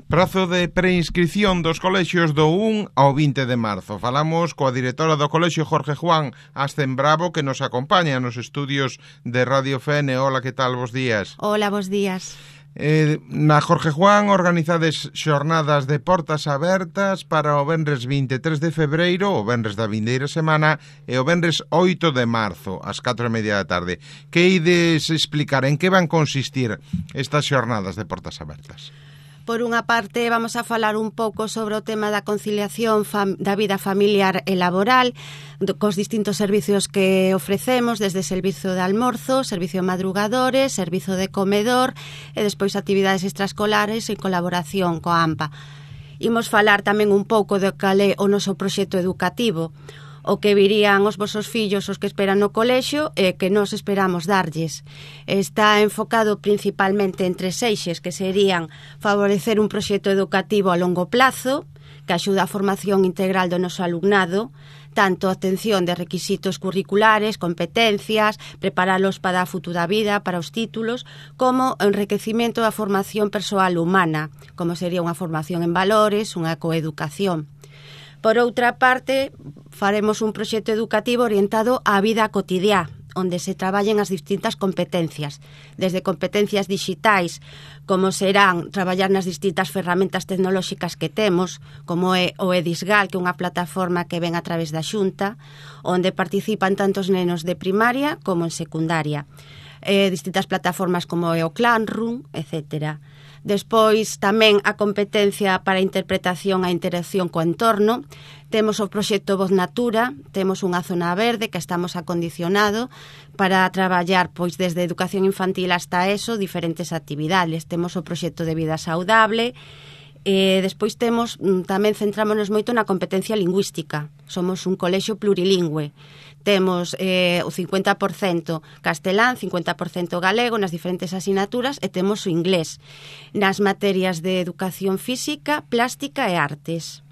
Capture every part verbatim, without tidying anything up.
Prazo de preinscripción dos colexios do un ao vinte de marzo. Falamos coa directora do colexio Jorge Juan Astenbravo, que nos acompaña nos estudios de Radio F N. Hola, que tal? Bos días. Hola, bos días. Eh, na Jorge Juan organizades xornadas de portas abertas para o venres vinte e tres de febreiro, o venres da vindeira semana, e o venres oito de marzo, ás catro e media da tarde. Que ides explicar? En que van consistir estas xornadas de portas abertas? Por unha parte, vamos a falar un pouco sobre o tema da conciliación fam- da vida familiar e laboral, do, cos distintos servicios que ofrecemos, desde servizo de almorzo, servicio de madrugadores, servizo de comedor e despois actividades extraescolares en colaboración coa A M P A. Imos falar tamén un pouco de cal é o noso proxecto educativo, o que virían os vosos fillos, os que esperan no colexio, e que nos esperamos darlles. Está enfocado principalmente en tres eixes, que serían favorecer un proxecto educativo a longo plazo, que axuda a formación integral do noso alumnado, tanto a obtención de requisitos curriculares, competencias, preparalos para a futura vida, para os títulos, como o enriquecimento da formación persoal humana, como sería unha formación en valores, unha coeducación. Por outra parte, faremos un proxecto educativo orientado á vida cotidiá, onde se traballen as distintas competencias, desde competencias digitais, como serán traballar nas distintas ferramentas tecnolóxicas que temos, como é o Edisgal, que é unha plataforma que ven a través da Xunta, onde participan tantos nenos de primaria como en secundaria. Eh, distintas plataformas como é o Classroom, etcétera. Despois, tamén a competencia para a interpretación e a interacción co entorno. Temos o proxecto Voz Natura, temos unha zona verde que estamos acondicionado para traballar pois desde educación infantil hasta eso, diferentes actividades. Temos o proxecto de vida saudable. E despois temos, tamén centrámonos moito na competencia lingüística. Somos un colexio plurilingüe. Temos eh, o cincuenta por cento castelán, cincuenta por cento galego nas diferentes asignaturas e temos o inglés nas materias de educación física, plástica e artes.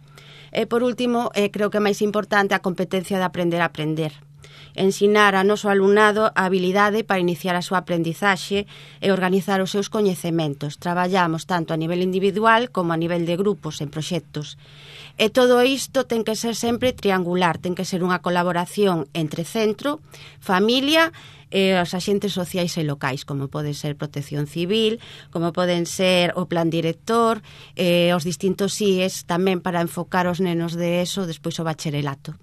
E por último, eh, creo que é máis importante a competencia de aprender a aprender. Ensinar a noso alumnado a habilidade para iniciar a súa aprendizaxe e organizar os seus coñecementos. Traballamos tanto a nivel individual como a nivel de grupos en proxectos. E todo isto ten que ser sempre triangular, ten que ser unha colaboración entre centro, familia e os axentes sociais e locais, como pode ser Protección Civil, como poden ser o Plan Director, e os distintos I E S tamén para enfocar os nenos de eso despois o bacharelato.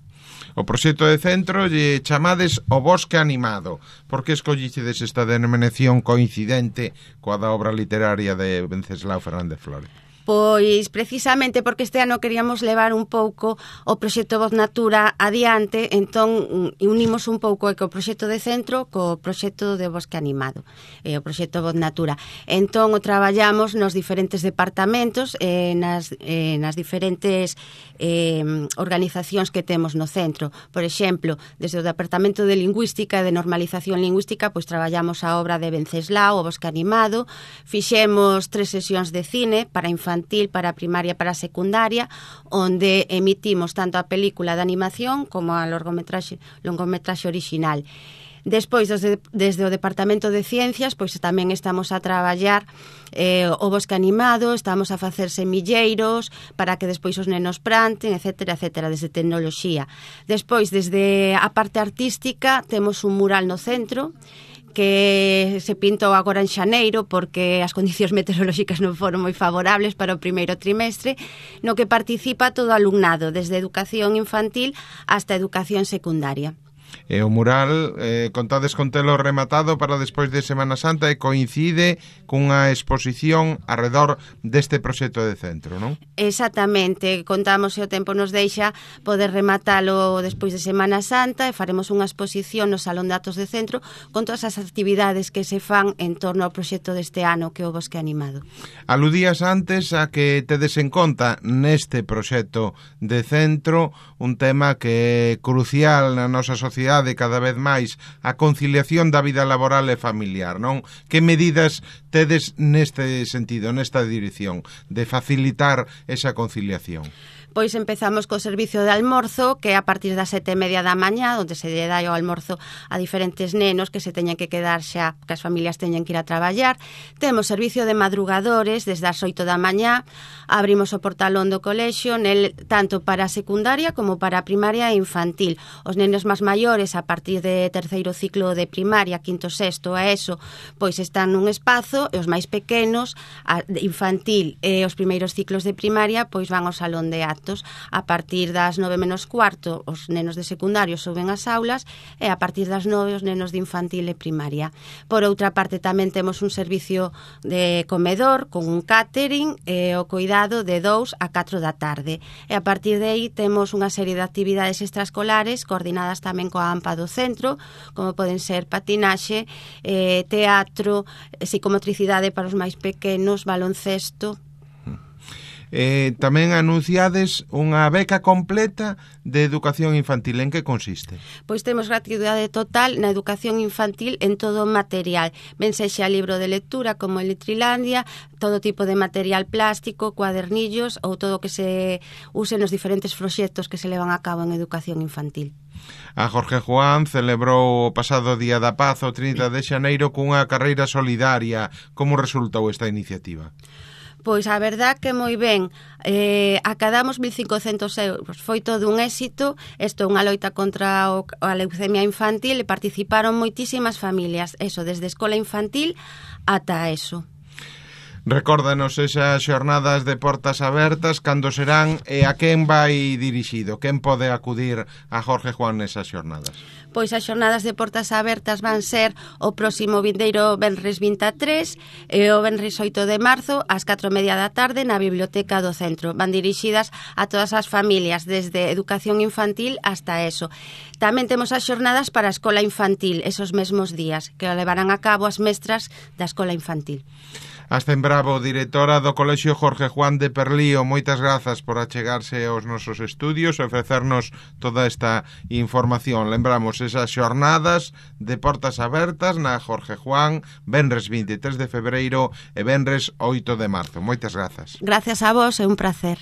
O proxecto de centro lle chamades o Bosque Animado. Por que escollicedes esta denominación coincidente coa da obra literaria de Venceslao Fernández Flórez? Pois precisamente porque este ano queríamos levar un pouco o proxecto Voz Natura adiante, entón unimos un pouco o proxecto de centro co proxecto de Bosque Animado, e o proxecto Voz Natura. Entón o traballamos nos diferentes departamentos e nas, eh, nas diferentes eh, organizacións que temos no centro. Por exemplo, desde o Departamento de Lingüística e de Normalización Lingüística, pois traballamos a obra de Venceslao, o Bosque Animado, fixemos tres sesións de cine para infantil, para a primaria, para a secundaria, onde emitimos tanto a película de animación como a longometraxe, longometraxe original. Despois, desde, desde o Departamento de Ciencias, pois tamén estamos a traballar eh, o Bosque Animado, estamos a facer semilleiros para que despois os nenos planten, etcétera, etcétera, desde tecnoloxía. Despois, desde a parte artística, temos un mural no centro, que se pintou agora en xaneiro porque as condicións meteorolóxicas non foron moi favorables para o primeiro trimestre, no que participa todo o alumnado, desde educación infantil hasta educación secundaria. E o mural, eh, contades con telo rematado para despois de Semana Santa e coincide cunha exposición arredor deste proxecto de centro, non? Exactamente, contamos se o tempo nos deixa poder rematalo despois de Semana Santa e faremos unha exposición no Salón de Actos de Centro con todas as actividades que se fan en torno ao proxecto deste ano que é o Bosque Animado. Aludías antes a que tedes en conta neste proxecto de centro un tema que é crucial na nosa sociedade sociedade cada vez máis a conciliación da vida laboral e familiar, non? Que medidas tedes neste sentido, nesta dirección, de facilitar esa conciliación? Pois empezamos co servicio de almorzo, que é a partir das sete e media da mañá, onde se lle dá o almorzo a diferentes nenos que se teñen que quedar xa, que as familias teñen que ir a traballar. Temos servicio de madrugadores desde as oito da mañá, abrimos o portalón do colexio, nel, tanto para a secundaria como para a primaria e infantil. Os nenos máis maiores, a partir de terceiro ciclo de primaria, quinto, sexto, a eso, pois están nun espazo, e os máis pequenos, a infantil e os primeiros ciclos de primaria, pois van ao salón de actos. A partir das nove menos cuarto os nenos de secundario suben ás aulas e a partir das nove os nenos de infantil e primaria. Por outra parte tamén temos un servicio de comedor con un catering e o cuidado de dous a catro da tarde. E a partir de aí temos unha serie de actividades extraescolares coordinadas tamén coa AMPA do centro, como poden ser patinaxe, eh, teatro, psicomotricidade para os máis pequenos, baloncesto. Eh, tamén anunciades unha beca completa de educación infantil. En que consiste? Pois temos gratuidade total na educación infantil en todo o material. Ben sexa libro de lectura como en Litrilandia, todo tipo de material plástico, cuadernillos ou todo o que se use nos diferentes proxectos que se levan a cabo en educación infantil. A Jorge Juan celebrou o pasado Día da Paz, o trinta de xaneiro, cunha carreira solidaria. Como resultou esta iniciativa? Pois a verdad que moi ben, eh, acadamos mil cincocentos euros, foi todo un éxito, isto é unha loita contra o, a leucemia infantil e participaron moitísimas familias, eso, desde escola infantil ata eso. Recórdanos esas xornadas de portas abertas, cando serán e a quen vai dirixido, quen pode acudir a Jorge Juan nesas xornadas? Pois as xornadas de portas abertas van ser o próximo vindeiro venres vinte e tres e o venres oito de marzo ás catro e media da tarde na biblioteca do centro. Van dirixidas a todas as familias, desde educación infantil hasta eso. Tamén temos as xornadas para a escola infantil, esos mesmos días, que o levarán a cabo as mestras da escola infantil. Ascen Bravo, directora do Colexio Jorge Juan de Perlío, moitas grazas por achegarse aos nosos estudios e ofrecernos toda esta información. Lembramos esas xornadas de portas abertas na Jorge Juan, venres vinte e tres de febreiro e venres oito de marzo. Moitas grazas. Gracias a vos, é un placer.